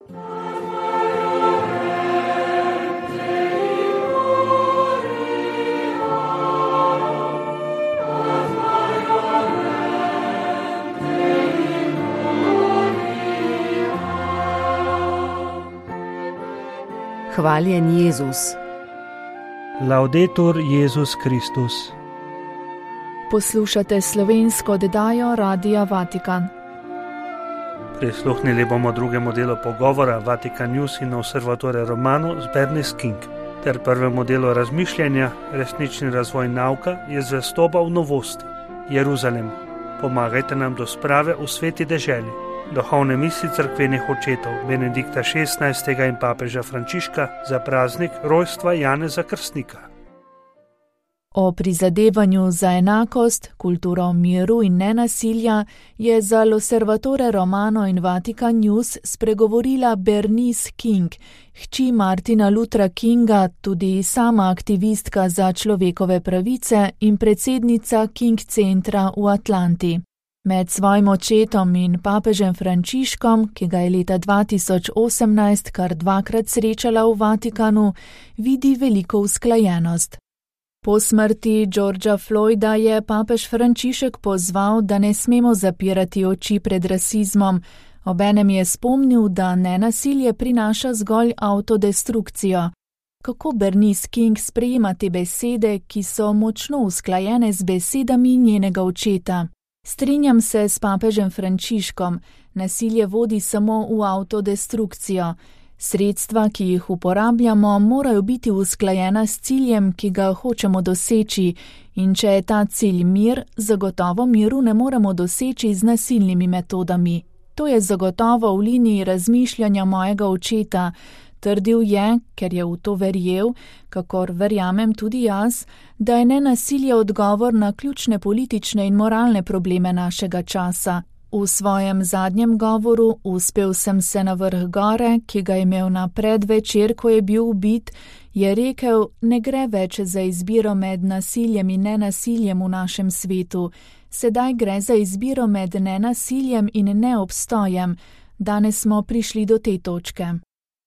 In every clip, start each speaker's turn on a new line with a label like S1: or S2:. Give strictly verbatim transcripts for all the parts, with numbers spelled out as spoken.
S1: Hvaljen Jezus.
S2: Laudetur Jezus Kristus.
S3: Poslušate slovensko oddajo Radia Vatikan.
S2: Prisluhnili bomo drugemu delu pogovora Vatikan News in Osservatore Romano z Bernice King, ter prvemu delu razmišljanja Resnični razvoj nauka je zvestoba v novosti. Jeruzalem. Pomagajte nam do sprave v sveti deželi. Duhovne misli cerkvenih očetov Benedikta šestnajstega in papeža Frančiška za praznik rojstva Janeza Krstnika.
S3: O prizadevanju za enakost, kulturo miru in nenasilja je za L'Osservatore Romano in Vatikan News spregovorila Bernice King, hči Martina Luthera Kinga, tudi sama aktivistka za človekove pravice in predsednica King centra v Atlanti. Med svojim očetom in papežem Frančiškom, ki ga je leta dva tisoč osemnajst kar dvakrat srečala v Vatikanu, vidi veliko usklajenost. Po smrti Georgea Floyda je papež Frančišek pozval, da ne smemo zapirati oči pred rasizmom. Obenem je spomnil, da nenasilje prinaša zgolj avtodestrukcijo. Kako Bernice King sprejema te besede, ki so močno usklajene z besedami njenega očeta? Strinjam se s papežem Frančiškom, nasilje vodi samo v avtodestrukcijo. Sredstva, ki jih uporabljamo, morajo biti usklajena s ciljem, ki ga hočemo doseči, in če je ta cilj mir, zagotovo miru ne moremo doseči z nasilnimi metodami. To je zagotovo v liniji razmišljanja mojega očeta. Trdil je, ker je v to verjel, kakor verjamem tudi jaz, da je nenasilje odgovor na ključne politične in moralne probleme našega časa. V svojem zadnjem govoru Uspel sem se na vrh gore, ki ga je imel na predvečer, ko je bil ubit, je rekel, ne gre več za izbiro med nasiljem in nenasiljem v našem svetu. Sedaj gre za izbiro med nenasiljem in neobstojem. Danes smo prišli do te točke.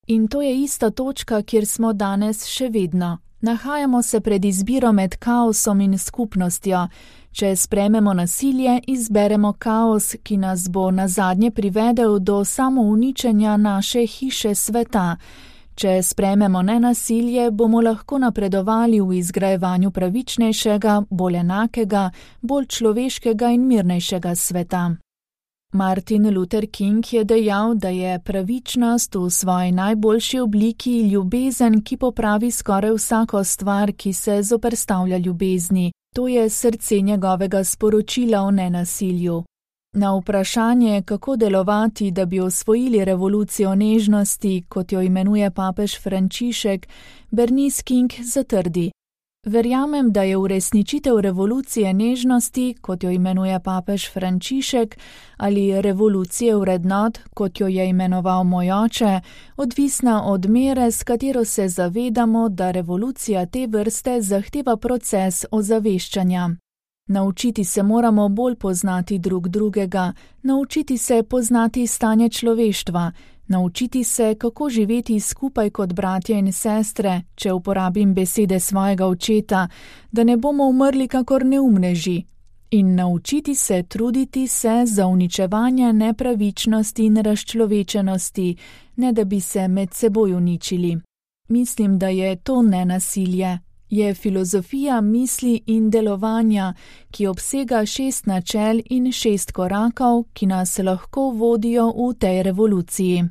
S3: In to je ista točka, kjer smo danes še vedno. Nahajamo se pred izbiro med kaosom in skupnostjo. Če sprejmemo nasilje, izberemo kaos, ki nas bo nazadnje privedel do samouničenja naše hiše sveta. Če sprejmemo nenasilje, bomo lahko napredovali v izgrajevanju pravičnejšega, bolj enakega, bolj človeškega in mirnejšega sveta. Martin Luther King je dejal, da je pravičnost v svoji najboljši obliki ljubezen, ki popravi skoraj vsako stvar, ki se zoperstavlja ljubezni. To je srce njegovega sporočila o nenasilju. Na vprašanje, kako delovati, da bi osvojili revolucijo nežnosti, kot jo imenuje papež Frančišek, Bernice King zatrdi. Verjamem, da je uresničitev revolucije nežnosti, kot jo imenuje papež Frančišek, ali revolucije vrednot, kot jo je imenoval moj oče, odvisna od mere, s katero se zavedamo, da revolucija te vrste zahteva proces ozaveščanja. Naučiti se moramo bolj poznati drug drugega, naučiti se poznati stanje človeštva, naučiti se, kako živeti skupaj kot bratje in sestre, če uporabim besede svojega očeta, da ne bomo umrli kakor neumneži, in naučiti se truditi se za uničevanje nepravičnosti in razčlovečenosti, ne da bi se med seboj uničili. Mislim, da je to nenasilje. Je filozofija misli in delovanja, ki obsega šest načel in šest korakov, ki nas lahko vodijo v tej revoluciji.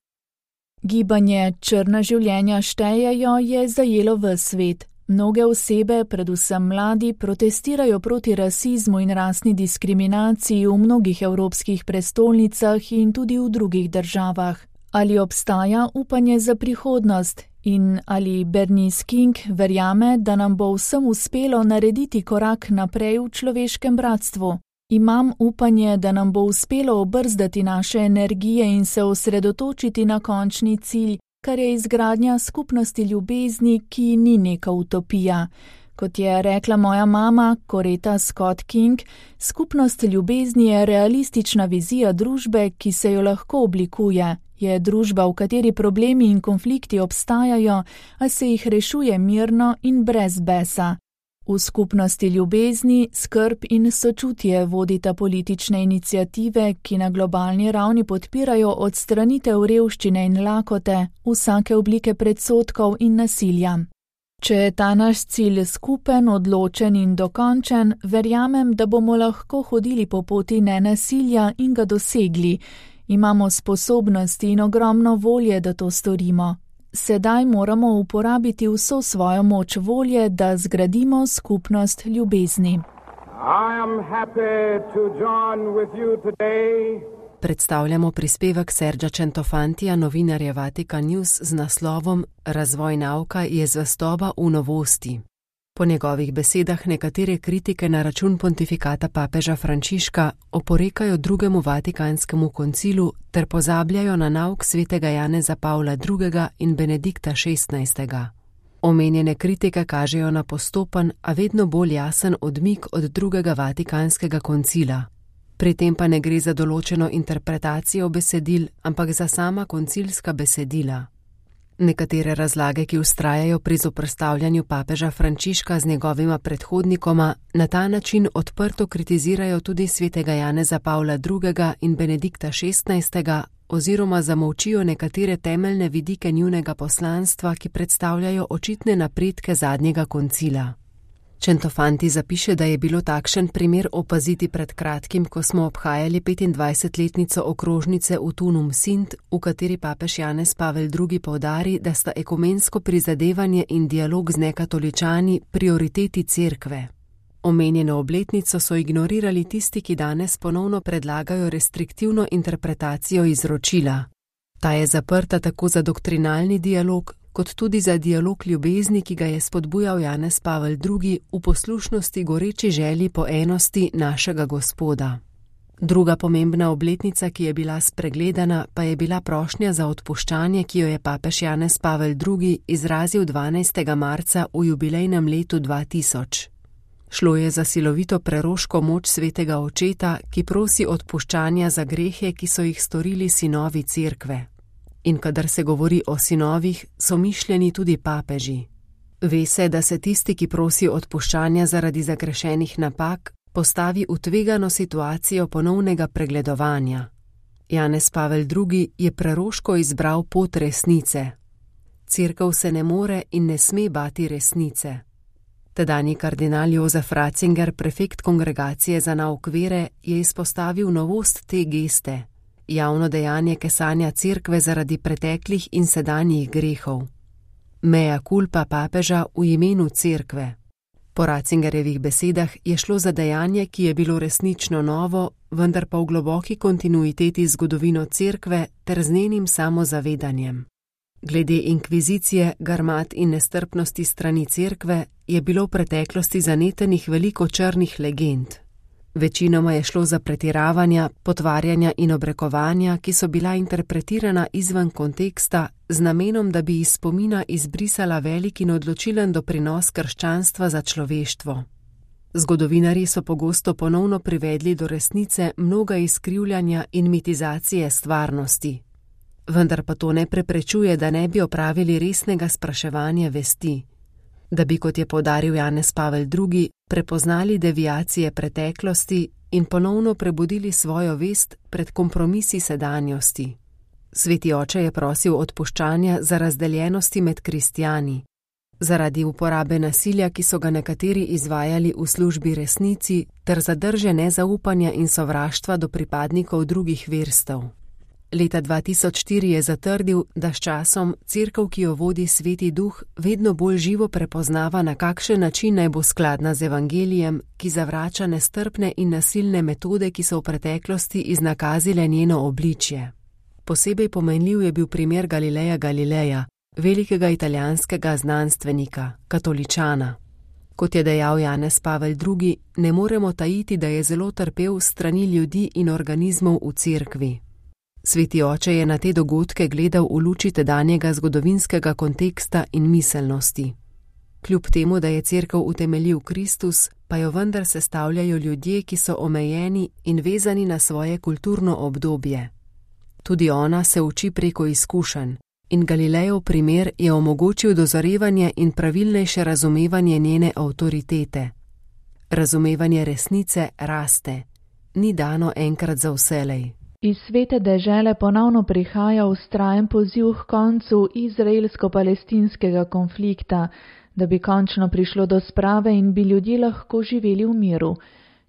S3: Gibanje Črna življenja štejejo je zajelo ves svet. Mnoge osebe, predvsem mladi, protestirajo proti rasizmu in rasni diskriminaciji v mnogih evropskih prestolnicah in tudi v drugih državah. Ali obstaja upanje za prihodnost? In ali Bernice King verjame, da nam bo vsem uspelo narediti korak naprej v človeškem bratstvu? Imam upanje, da nam bo uspelo obrzdati naše energije in se osredotočiti na končni cilj, kar je izgradnja skupnosti ljubezni, ki ni neka utopija. Kot je rekla moja mama, Coretta Scott King, skupnost ljubezni je realistična vizija družbe, ki se jo lahko oblikuje, Je družba, v kateri problemi in konflikti obstajajo, a se jih rešuje mirno in brez besa. V skupnosti ljubezni, skrb in sočutje vodita politične iniciative, ki na globalni ravni podpirajo odstranitev revščine in lakote, vsake oblike predsodkov in nasilja. Če je ta naš cilj skupen, odločen in dokončen, verjamem, da bomo lahko hodili po poti nenasilja in ga dosegli. Imamo sposobnosti in ogromno volje, da to storimo. Sedaj moramo uporabiti vso svojo moč volje, da zgradimo skupnost ljubezni.
S1: I am happy to join with you today.
S4: Predstavljamo prispevek Sergea Centofantija, novinarja Vatikan News z naslovom Razvoj nauka je zvestoba v novosti. Po njegovih besedah nekatere kritike na račun pontifikata papeža Frančiška oporekajo drugemu vatikanskemu koncilu ter pozabljajo na nauk svetega Janeza Pavla drugega in Benedikta šestnajstega. Omenjene kritike kažejo na postopen, a vedno bolj jasen odmik od drugega vatikanskega koncila. Pri tem pa ne gre za določeno interpretacijo besedil, ampak za sama koncilska besedila. Nekatere razlage, ki vztrajajo pri zoperstavljanju papeža Frančiška z njegovima predhodnikoma, na ta način odprto kritizirajo tudi svetega Janeza Pavla drugega in Benedikta šestnajstega oziroma zamolčijo nekatere temeljne vidike njunega poslanstva, ki predstavljajo očitne napredke zadnjega koncila. Centofanti zapiše, da je bilo takšen primer opaziti pred kratkim, ko smo obhajali petindvajsetletnico okrožnice v Tunum Sint, v kateri papež Janez Pavel drugi poudari, da sta ekumensko prizadevanje in dialog z nekatoličani prioriteti cerkve. Omenjeno obletnico so ignorirali tisti, ki danes ponovno predlagajo restriktivno interpretacijo izročila. Ta je zaprta tako za doktrinalni dialog, kot tudi za dialog ljubezni, ki ga je spodbujal Janez Pavel drugi v poslušnosti goreči želji po enosti našega Gospoda. Druga pomembna obletnica, ki je bila spregledana, pa je bila prošnja za odpuščanje, ki jo je papež Janez Pavel drugi izrazil dvanajstega marca v jubilejnem letu dva tisoč. Šlo je za silovito preroško moč svetega očeta, ki prosi odpuščanja za grehe, ki so jih storili sinovi cerkve. In kadar se govori o sinovih, so mišljeni tudi papeži. Ve se, da se tisti, ki prosi odpuščanja zaradi zagrešenih napak, postavi v tvegano situacijo ponovnega pregledovanja. Janez Pavel drugi je preroško izbral pot resnice. Cerkev se ne more in ne sme bati resnice. Tedanji kardinal Jozef Ratzinger, prefekt kongregacije za nauk vere, je izpostavil novost te geste. Javno dejanje kesanja cerkve zaradi preteklih in sedanjih grehov. Mea culpa papeža v imenu cerkve. Po Ratzingerjevih besedah je šlo za dejanje, ki je bilo resnično novo, vendar pa v globoki kontinuiteti zgodovino cerkve ter z njenim samozavedanjem. Glede inkvizicije, garmat in nestrpnosti strani cerkve je bilo v preteklosti zanetenih veliko črnih legend. Večinoma je šlo za pretiravanja, potvarjanja in obrekovanja, ki so bila interpretirana izven konteksta z namenom, da bi iz spomina izbrisala velik in odločilen doprinos krščanstva za človeštvo. Zgodovinarji so pogosto ponovno privedli do resnice mnoga izkrivljanja in mitizacije stvarnosti. Vendar pa to ne preprečuje, da ne bi opravili resnega spraševanja vesti. Da bi, kot je poudaril Janez Pavel drugi, prepoznali deviacije preteklosti in ponovno prebudili svojo vest pred kompromisi sedanjosti. Sveti oče je prosil odpuščanja za razdeljenosti med kristjani, zaradi uporabe nasilja, ki so ga nekateri izvajali v službi resnici, ter zadrže nezaupanja in sovraštva do pripadnikov drugih verstev. Leta dva tisoč štiri je zatrdil, da s časom cerkev, ki jo vodi Sveti Duh, vedno bolj živo prepoznava, na kakšen način naj bo skladna z evangelijem, ki zavrača nestrpne in nasilne metode, ki so v preteklosti iznakazile njeno obličje. Posebej pomenljiv je bil primer Galileja Galileja, velikega italijanskega znanstvenika, katoličana. Kot je dejal Janez Pavel drugi, ne moremo tajiti, da je zelo trpel strani ljudi in organizmov v cerkvi. Sveti oče je na te dogodke gledal v luči tedanjega zgodovinskega konteksta in miselnosti. Kljub temu, da je cerkev utemeljil Kristus, pa jo vendar sestavljajo ljudje, ki so omejeni in vezani na svoje kulturno obdobje. Tudi ona se uči preko izkušenj in Galilejev primer je omogočil dozorevanje in pravilnejše razumevanje njene avtoritete. Razumevanje resnice raste, ni dano enkrat za vselej.
S3: Iz svete dežele ponovno prihaja vztrajen poziv k koncu izraelsko-palestinskega konflikta, da bi končno prišlo do sprave in bi ljudje lahko živeli v miru.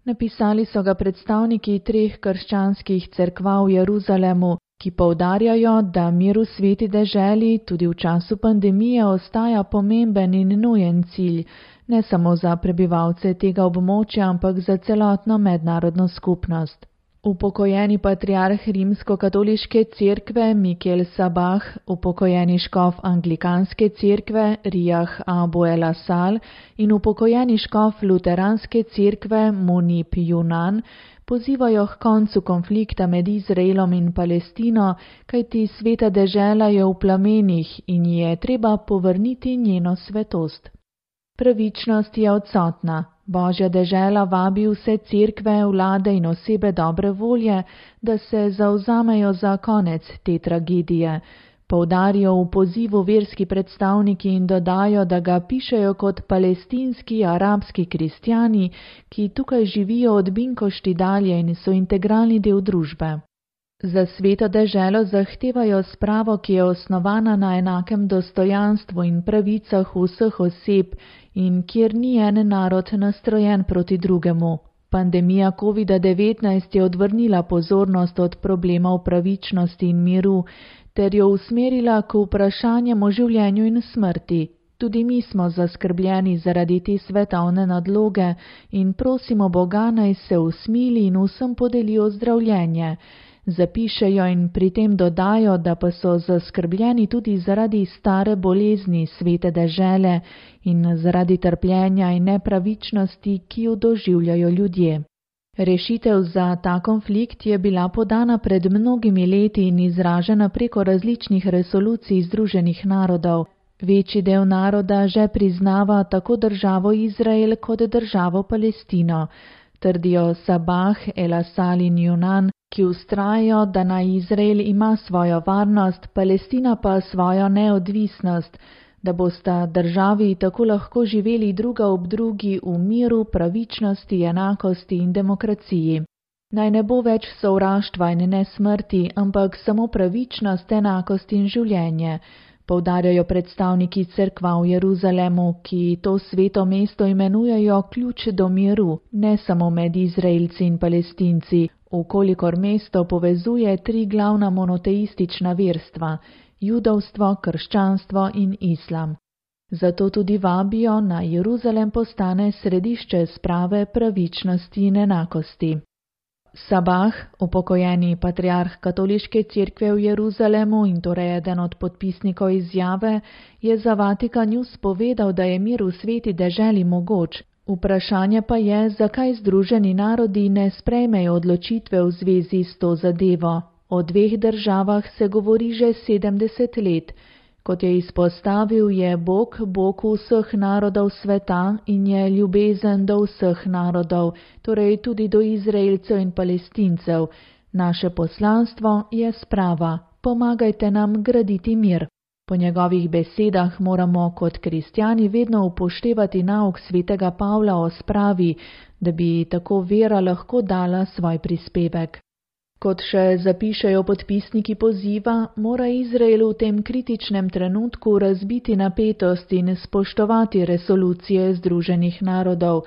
S3: Napisali so ga predstavniki treh krščanskih cerkva v Jeruzalemu, ki poudarjajo, da mir v sveti deželi tudi v času pandemije ostaja pomemben in nujen cilj, ne samo za prebivalce tega območja, ampak za celotno mednarodno skupnost. Upokojeni patriarh rimsko-katoliške cerkve Mikel Sabah, upokojeni škof anglikanske cerkve Riyah Abu el-Asal in upokojeni škof luteranske cerkve Munib Yunan pozivajo k koncu konflikta med Izraelom in Palestino, kajti sveta dežela je v plamenih in ji je treba povrniti njeno svetost. Pravičnost je odsotna. Božja dežela vabi vse cerkve, vlade in osebe dobre volje, da se zavzamejo za konec te tragedije. Poudarijo v pozivu verski predstavniki in dodajo, da ga pišejo kot palestinski arabski kristjani, ki tukaj živijo od Binkošti dalje in so integralni del družbe. Za sveto deželo zahtevajo spravo, ki je osnovana na enakem dostojanstvu in pravicah vseh oseb in kjer ni en narod nastrojen proti drugemu. Pandemija kovida devetnajst je odvrnila pozornost od problemov pravičnosti in miru ter jo usmerila k vprašanjem o življenju in smrti. Tudi mi smo zaskrbljeni zaradi te svetovne nadloge in prosimo Boga, naj se usmili in vsem podeli ozdravljenje. Zapišejo in pri tem dodajo, da pa so zaskrbljeni tudi zaradi stare bolezni svete dežele in zaradi trpljenja in nepravičnosti, ki jo doživljajo ljudje. Rešitev za ta konflikt je bila podana pred mnogimi leti in izražena preko različnih resolucij Združenih narodov. Večji del naroda že priznava tako državo Izrael kot državo Palestino, trdijo Sabah, el-Asal in Yunan, ki vztrajajo, da naj Izrael ima svojo varnost, Palestina pa svojo neodvisnost, da bosta državi tako lahko živeli druga ob drugi v miru, pravičnosti, enakosti in demokraciji. Naj ne bo več sovraštva in ne smrti, ampak samo pravičnost, enakost in življenje, poudarjajo predstavniki cerkva v Jeruzalemu, ki to sveto mesto imenujejo ključ do miru, ne samo med Izraelci in Palestinci, ukolikor mesto povezuje tri glavna monoteistična verstva, judovstvo, krščanstvo in islam. Zato tudi vabijo, naj Jeruzalem postane središče sprave, pravičnosti in enakosti. Sabah, upokojeni patriarh katoliške cerkve v Jeruzalemu in torej eden od podpisnikov izjave, je za Vatikan News povedal, da je mir v sveti deželi mogoč. Vprašanje pa je, zakaj Združeni narodi ne sprejmejo odločitve v zvezi s to zadevo. O dveh državah se govori že sedemdeset let. Kot je izpostavil, je Bog Bog vseh narodov sveta in je ljubezen do vseh narodov, torej tudi do Izraelcev in Palestincev. Naše poslanstvo je sprava. Pomagajte nam graditi mir. Po njegovih besedah moramo kot kristjani vedno upoštevati nauk svetega Pavla o spravi, da bi tako vera lahko dala svoj prispevek. Kot še zapišejo podpisniki poziva, mora Izrael v tem kritičnem trenutku razbiti napetost in spoštovati resolucije Združenih narodov.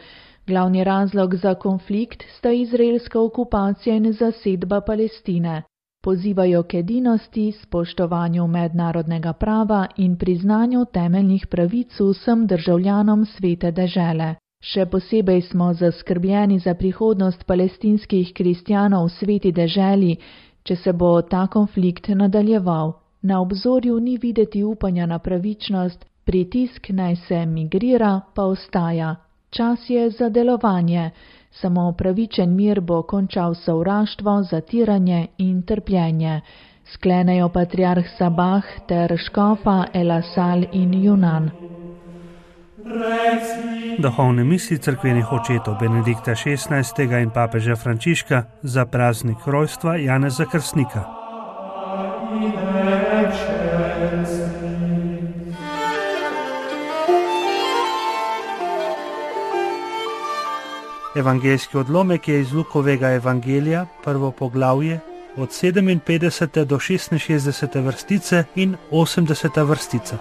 S3: Glavni razlog za konflikt sta izraelska okupacija in zasedba Palestine. Pozivajo k edinosti, spoštovanju mednarodnega prava in priznanju temeljnih pravic vsem državljanom svete dežele. Še posebej smo zaskrbljeni za prihodnost palestinskih kristjanov v sveti deželi, če se bo ta konflikt nadaljeval. Na obzorju ni videti upanja na pravičnost, pritisk naj se migrira pa ostaja. Čas je za delovanje. Samo pravičen mir bo končal sovraštvo, zatiranje in trpljenje. Sklenejo patriarh Sabah ter škofa el-Asal in Yunan.
S2: Duhovne misli cerkvenih očetov Benedikta šestnajstega in papeža Frančiška za praznik rojstva Janeza Krstnika. Evangeljski odlomek je iz Lukovega evangelija, prvo poglavje, od sedeminpetdesete do šestinšestdesete vrstice in osemdeseta vrstica.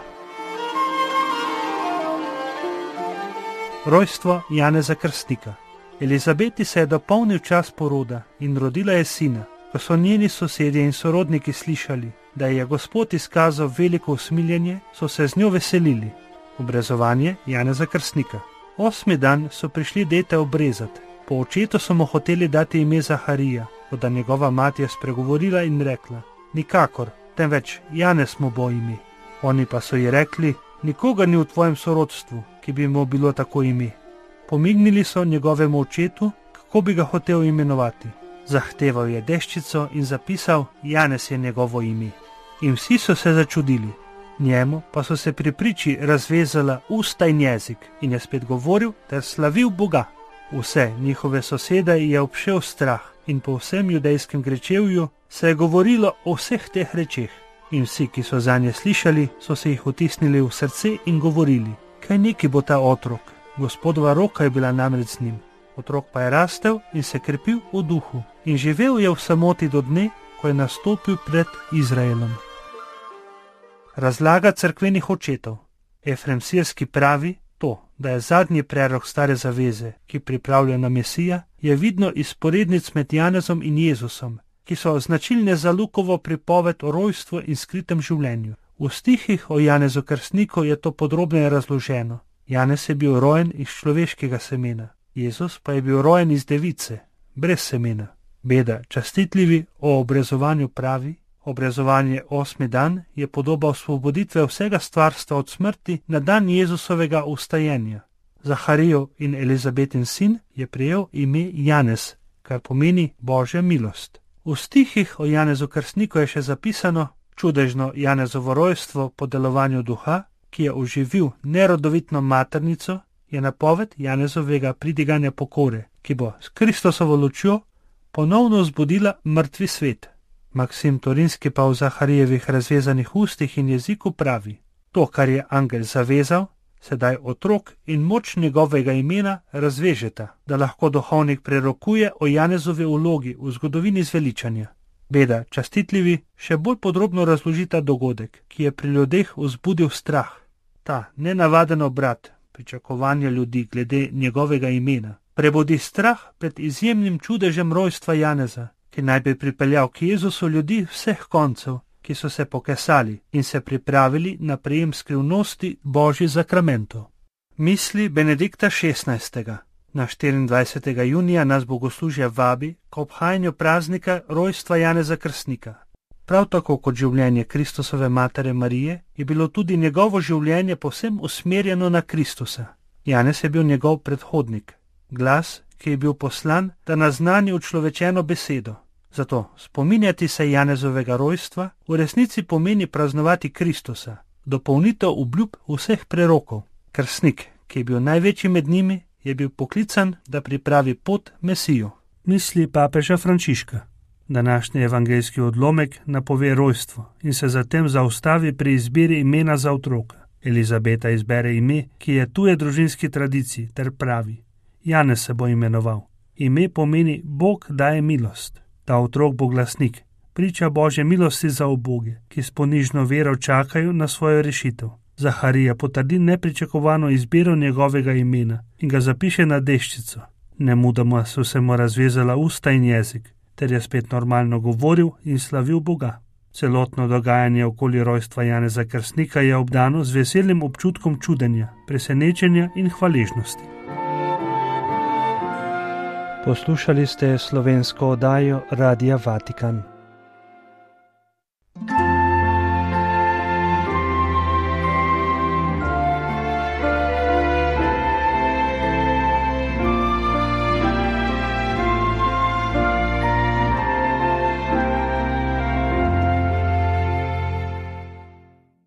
S2: Rojstvo Janeza Krstnika. Elizabeti se je dopolnil čas poroda in rodila je sina. Ko so njeni sosedje in sorodniki slišali, da je Gospod izkazal veliko usmiljenje, so se z njo veselili. Obrezovanje Janeza Krstnika. Osmi dan so prišli dete obrezati. Po očetu so mu hoteli dati ime Zaharija, toda njegova mati je spregovorila in rekla: nikakor, temveč Janez mu bo ime. Oni pa so ji rekli: nikoga ni v tvojem sorodstvu, ki bi mu bilo tako ime. Pomignili so njegovemu očetu, kako bi ga hotel imenovati. Zahteval je deščico in zapisal: Janez je njegovo ime. In vsi so se začudili. Njemu pa so se pri priči razvezala usta in jezik in je spet govoril ter slavil Boga. Vse njihove sosede je obšel strah in po vsem judejskem grečevju se je govorilo o vseh teh rečeh. In vsi, ki so zanje slišali, so se jih vtisnili v srce in govorili: kaj neki bo ta otrok? Gospodova roka je bila namreč z njim. Otrok pa je rastel in se krepil v duhu in živel je v samoti do dne, ko je nastopil pred Izraelom. Razlaga cerkvenih očetov. Efrem Sirski pravi, to, da je zadnji prerok stare zaveze, ki pripravlja na Mesija, je vidno iz sporednic med Janezom in Jezusom, ki so značilne za Lukovo pripoved o rojstvu in skritem življenju. V stihih o Janezu Krstniku je to podrobneje razloženo. Janez je bil rojen iz človeškega semena, Jezus pa je bil rojen iz device, brez semena. Beda častitljivi o obrezovanju pravi: obrezovanje osmi dan je podoba osvoboditve vsega stvarstva od smrti na dan Jezusovega vstajenja. Zaharijev in Elizabetin sin je prejel ime Janez, kar pomeni Božja milost. V stihih o Janezu Krstniku je še zapisano: čudežno Janezovo rojstvo po delovanju duha, ki je oživil nerodovitno maternico, je napoved Janezovega pridiganja pokore, ki bo s Kristosovo lučjo ponovno vzbudila mrtvi svet. Maksim Torinski pa v Zaharijevih razvezanih ustih in jeziku pravi: to, kar je angel zavezal, sedaj otrok in moč njegovega imena razvežeta, da lahko duhovnik prerokuje o Janezovi vlogi v zgodovini zveličanja. Beda častitljivi še bolj podrobno razložita dogodek, ki je pri ljudeh vzbudil strah. Ta nenavaden obrat, pričakovanje ljudi glede njegovega imena, prebudi strah pred izjemnim čudežem rojstva Janeza, ki naj bi pripeljal k Jezusu ljudi vseh koncev, ki so se pokesali in se pripravili na prejem skrivnosti Božjih zakramentov. Misli Benedikta šestnajstega. Na štiriindvajsetega junija nas bogoslužje vabi k obhajanju praznika rojstva Janeza Krstnika. Prav tako kot življenje Kristusove matere Marije je bilo tudi njegovo življenje povsem usmerjeno na Kristusa. Janez je bil njegov predhodnik, glas, ki je bil poslan, da naznani učlovečeno besedo. Zato spominjati se Janezovega rojstva v resnici pomeni praznovati Kristusa, dopolnitev obljub vseh prerokov. Krstnik, ki je bil največji med njimi, je bil poklican, da pripravi pot Mesiju. Misli papeža Frančiška. Današnji evangeljski odlomek napove rojstvo in se zatem zaustavi pri izbiri imena za otroka. Elizabeta izbere ime, ki je tuje družinski tradiciji, ter pravi: Janez se bo imenoval. Ime pomeni Bog daje milost. Ta otrok bo glasnik, priča Božje milosti za uboge, ki s ponižno vero čakajo na svojo rešitev. Zaharija potrdi nepričakovano izbiro njegovega imena in ga zapiše na deščico. Nemudoma so se mu razvezala usta in jezik, ter je spet normalno govoril in slavil Boga. Celotno dogajanje okoli rojstva Janeza Krstnika je obdano z veselim občutkom čudenja, presenečenja in hvaležnosti. Poslušali ste slovensko oddajo Radia Vatikan.